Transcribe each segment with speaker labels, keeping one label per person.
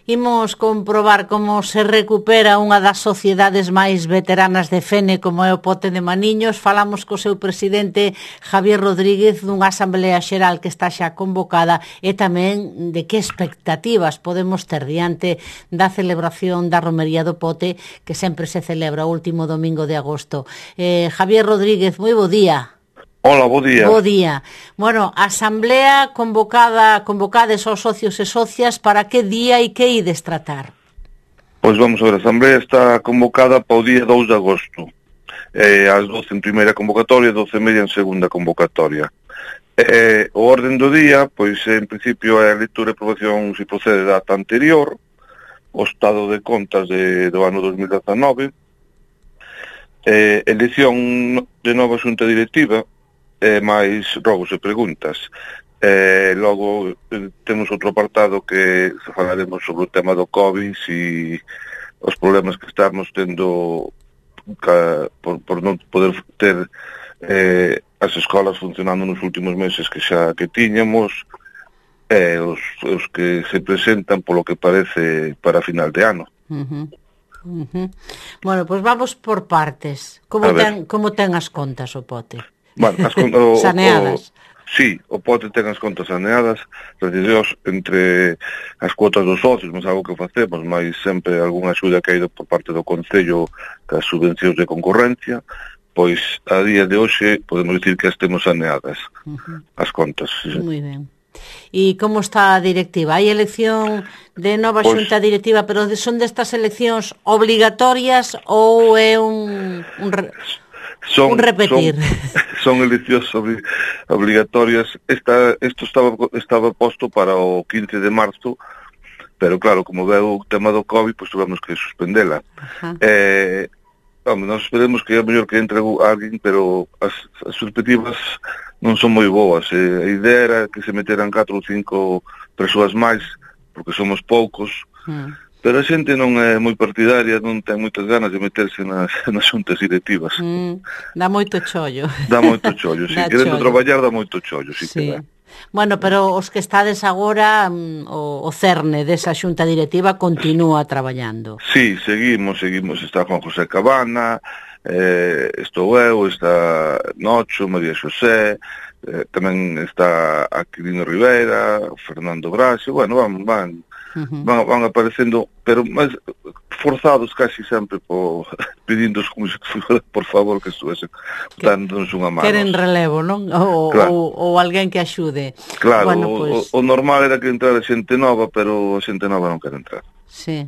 Speaker 1: Imos comprobar como se recupera unha das sociedades máis veteranas de Fene, como é o Pote de Maniños. Falamos co seu presidente Javier Rodríguez dunha asamblea xeral que está xa convocada e tamén de que expectativas podemos ter diante da celebración da romería do Pote, que sempre se celebra o último domingo de agosto. Javier Rodríguez, moi bo día.
Speaker 2: Hola, bo día.
Speaker 1: Bo día. Bueno, asamblea convocades aos socios e socias para que día e que ides tratar?
Speaker 2: Pois vamos a ver, a asamblea está convocada para o día 2 de agosto. Ás 12 en primeira convocatoria, 12:30 en segunda convocatoria. O orden do día, pois en principio é a lectura e aprobación, se procede, da ata anterior, o estado de contas do ano 2019, elección de nova xunta directiva, máis rogos e preguntas. Logo temos outro apartado que falaremos sobre o tema do COVID e os problemas que estamos tendo por non poder ter as escolas funcionando nos últimos meses que tiñamos, os que se presentan polo que parece para final de ano.
Speaker 1: Bueno, pois vamos por partes. Como ten as contas o Pote?
Speaker 2: Bueno,
Speaker 1: saneadas.
Speaker 2: Sí, o Pote ten as contas saneadas, gracias entre as cuotas dos socios, mas algo que facemos, mas sempre algunha axuda que ha ido por parte do Concello das subvencións de concorrencia, pois a día de hoxe podemos dicir que as temos saneadas, as contas. Sí.
Speaker 1: Moi ben. E como está a directiva? Hai elección de nova xunta directiva, pero son destas eleccións obligatorias ou é un repetir?
Speaker 2: Son eleccións obligatorias. Isto estaba posto para o 15 de marzo, pero claro, como veo o tema do COVID, pois tuvemos que suspendela. Nos esperemos que é mellor que entre alguén, pero as perspectivas non son moi boas. A idea era que se meteran 4 ou 5 persoas máis, porque somos poucos, pero a xente non é moi partidaria, non ten moitas ganas de meterse nas xuntas directivas.
Speaker 1: Dá moito chollo.
Speaker 2: Dá moito chollo, sí. Querendo traballar dá moito chollo, sí que dá.
Speaker 1: Bueno, pero os que estades agora, o cerne desa xunta directiva continúa traballando.
Speaker 2: Sí, seguimos. Está Juan José Cabana, estou eu, está Nocho, María Xosé, tamén está Aquilino Rivera, Fernando Braxe, bueno, van aparecendo, pero máis forzados casi sempre pedindo por favor que estuesen dándonos unha mano.
Speaker 1: Queren relevo, non? Ou alguén que axude.
Speaker 2: Claro, bueno, pues o normal era que entrara xente nova, pero a xente nova non quere entrar.
Speaker 1: Sí,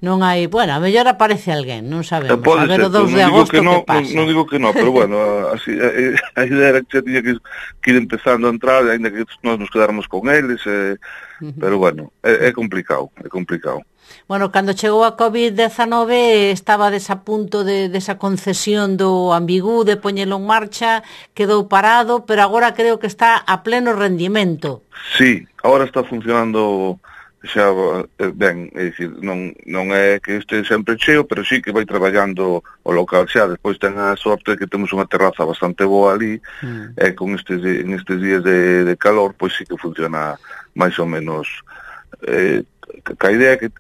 Speaker 1: non hai, bueno, a mellor aparece alguén, non sabemos. A ver o 2 de agosto que pasa.
Speaker 2: Non digo que non, pero bueno, así, a idea era que xa tiña que ir empezando a entrar, ainda que nós nos quedáramos con eles, pero bueno, é complicado.
Speaker 1: Bueno, cando chegou a COVID-19 estabades a punto desa concesión do Ambigú, de poñelo en marcha, quedou parado, pero agora creo que está a pleno rendimento.
Speaker 2: Sí, agora está funcionando xa ben, é dicir, non é que este sempre cheo, pero sí que vai traballando o local xa. Despois ten a sorte que temos unha terraza bastante boa ali, e con estes días de calor, pois sí que funciona máis ou menos. A idea que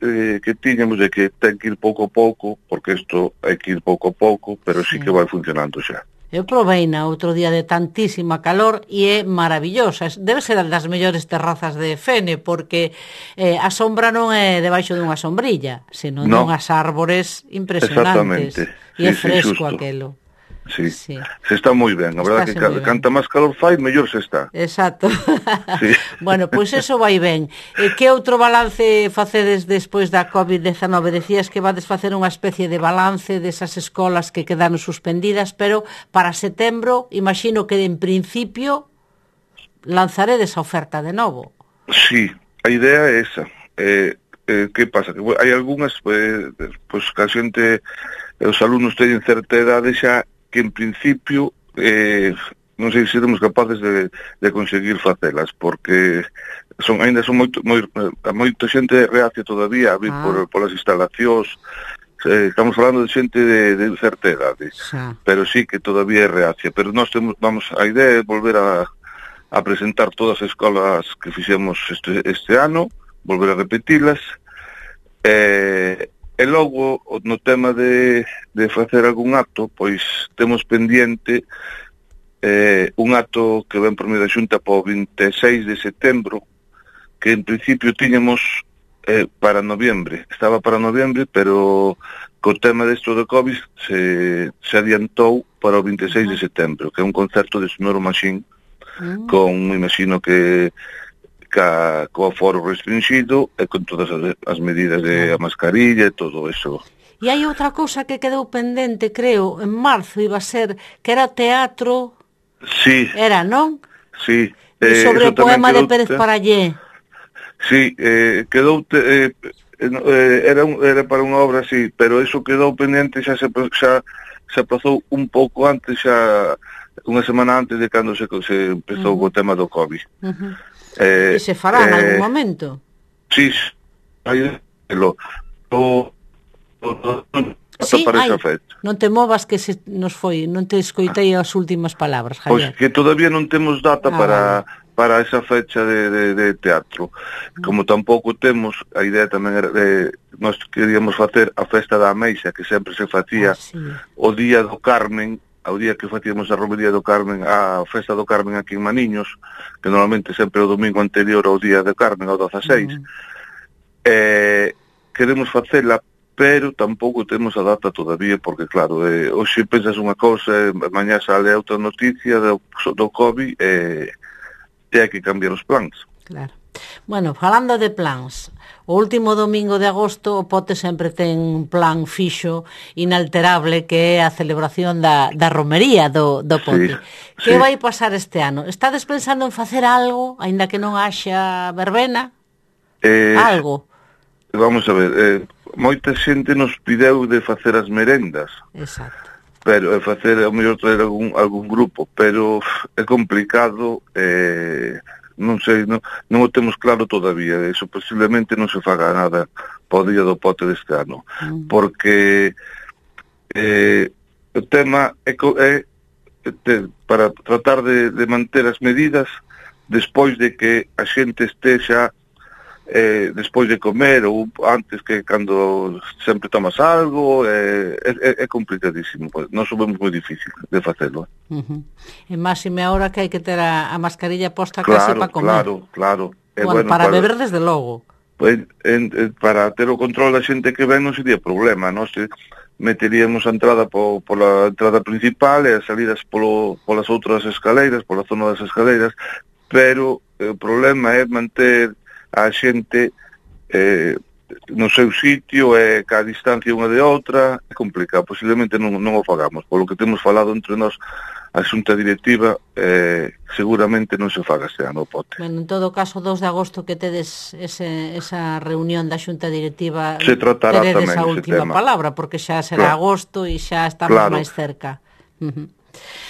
Speaker 2: tiñamos é que ten que ir pouco a pouco, porque isto hai que ir pouco a pouco, pero sí que vai funcionando xa.
Speaker 1: Eu proveina outro día de tantísima calor e é maravillosa. Debe ser das mellores terrazas de Fene, porque a sombra non é debaixo dunha sombrilla, senón dunhas árbores impresionantes. E é fresco aquelo.
Speaker 2: Sí, se está moi ben. A verdade que canta máis calor fai, mellor se está.
Speaker 1: Exacto. Bueno, pois eso vai ben. Que outro balance facedes despois da COVID-19? Decías que vades facer unha especie de balance desas escolas que quedaron suspendidas, pero para setembro, imagino que en principio lanzaredes a oferta de novo.
Speaker 2: Sí, a idea é esa. Que pasa? Que hai algunhas, pois que a xente, os alumnos teñen certa idade xa, que en principio non sei se seremos capaces de conseguir facelas, porque ainda son moita xente reacia todavía a vir polas instalacións. Estamos falando de xente de certa idade, pero sí que todavía é reacia. Pero nós a idea é volver a presentar todas as escolas que fixemos este ano, volver a repetilas, e logo no tema de facer algún acto, pois temos pendiente un acto que ven por medio da Xunta para o 26 de setembro, que en principio tiñamos para noviembre, estaba para noviembre, pero co tema desto do COVID se adiantou para o 26 de setembro, que é un concerto de Sonoro Machine, con, imagino que co aforo restringido e con todas as medidas de a mascarilla e todo eso.
Speaker 1: E hai outra cousa que quedou pendente, creo, en marzo iba a ser, que era teatro.
Speaker 2: Sí.
Speaker 1: Era, non?
Speaker 2: Sí.
Speaker 1: Sobre o poema de Pérez Parallé.
Speaker 2: Sí, quedou era para unha obra, sí, pero eso quedou pendente, xa se aplazou un pouco antes, xa unha semana antes de cando se empezou o tema do COVID.
Speaker 1: E se fará en algún momento?
Speaker 2: Sí,
Speaker 1: sí, non te movas que se nos foi, non te escoitei as últimas palabras, Javier.
Speaker 2: Pois que todavía non temos data para esa fecha de teatro. Como tampouco temos, a idea tamén era nós queríamos facer a festa da Ameixa, que sempre se facía o día do Carmen, ao día que facíamos a romería do Carmen, a festa do Carmen aquí en Maniños, que normalmente sempre o domingo anterior ao día do Carmen, ao 16. Queremos facela, pero tampouco temos a data todavía, porque claro, hoxe pensas unha cousa, mañá sale outra noticia do COVID, e hai que cambiar os plans.
Speaker 1: Claro. Bueno, falando de plans, o último domingo de agosto o Pote sempre ten un plan fixo, inalterable, que é a celebración da romería do Pote. Que vai pasar este ano? Estades pensando en facer algo, aínda que non haxa verbena? Algo?
Speaker 2: Vamos a ver, moita xente nos pideu de facer as merendas.
Speaker 1: Exacto.
Speaker 2: Pero facer, ao mellor traer algún grupo, pero é complicado, non sei, non o temos claro todavía, eso posiblemente non se faga nada para o día do Pote deste ano, porque o tema é para tratar de manter as medidas despois de que a xente estexa despois de comer ou antes, que cando sempre tomas algo, é complicadísimo. Nós o vemos moi difícil de facelo.
Speaker 1: E máxime ahora que hai que ter a mascarilla posta case para comer.
Speaker 2: Claro.
Speaker 1: Bueno, para beber desde logo.
Speaker 2: Para ter o control da xente que ven non sería problema. Nós meteríamos a entrada pola entrada principal e as salidas polas outras escaleiras, pola zona das escaleiras, pero o problema é manter a xente no seu sitio e ca distancia unha de outra. É complicado, posiblemente non o fagamos, polo que temos falado entre nós, a xunta directiva, seguramente non se faga este ano o Pote.
Speaker 1: Bueno, en todo caso, 2 de agosto que tedes esa reunión da xunta directiva,
Speaker 2: se tratará
Speaker 1: teredes
Speaker 2: tamén
Speaker 1: a última palabra, porque xa será agosto e xa estamos máis cerca.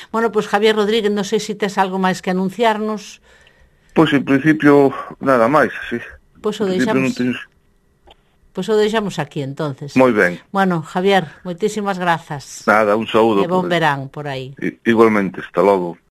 Speaker 1: Bueno, pois Javier Rodríguez, non sei se tes algo máis que anunciarnos.
Speaker 2: Pois en principio nada máis, sí.
Speaker 1: Pois o deixamos aquí entonces.
Speaker 2: Moi ben.
Speaker 1: Bueno, Javier, moitísimas grazas.
Speaker 2: Nada, un saúdo.
Speaker 1: E bon verán por aí.
Speaker 2: Igualmente, hasta logo.